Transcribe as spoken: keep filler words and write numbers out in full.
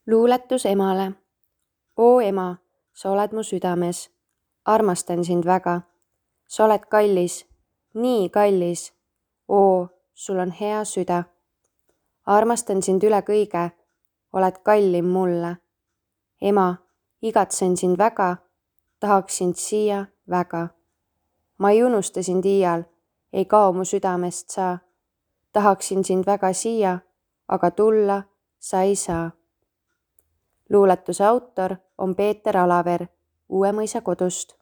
Luuletus emale. Oo ema, sa oled mu südames. Armastan sind väga. Sa oled kallis, nii kallis. Oo, sul on hea süda. Armastan sind üle kõige. Oled kallim mulle. Ema, igatsen sind väga. Tahaks sind siia väga. Ma ei unusta sind iial, ei kao mu südamest saa. Tahaksin sind väga siia, aga tulla sa ei saa. Luuletuse autor on Peeter Alaver Uuemõisa kodust.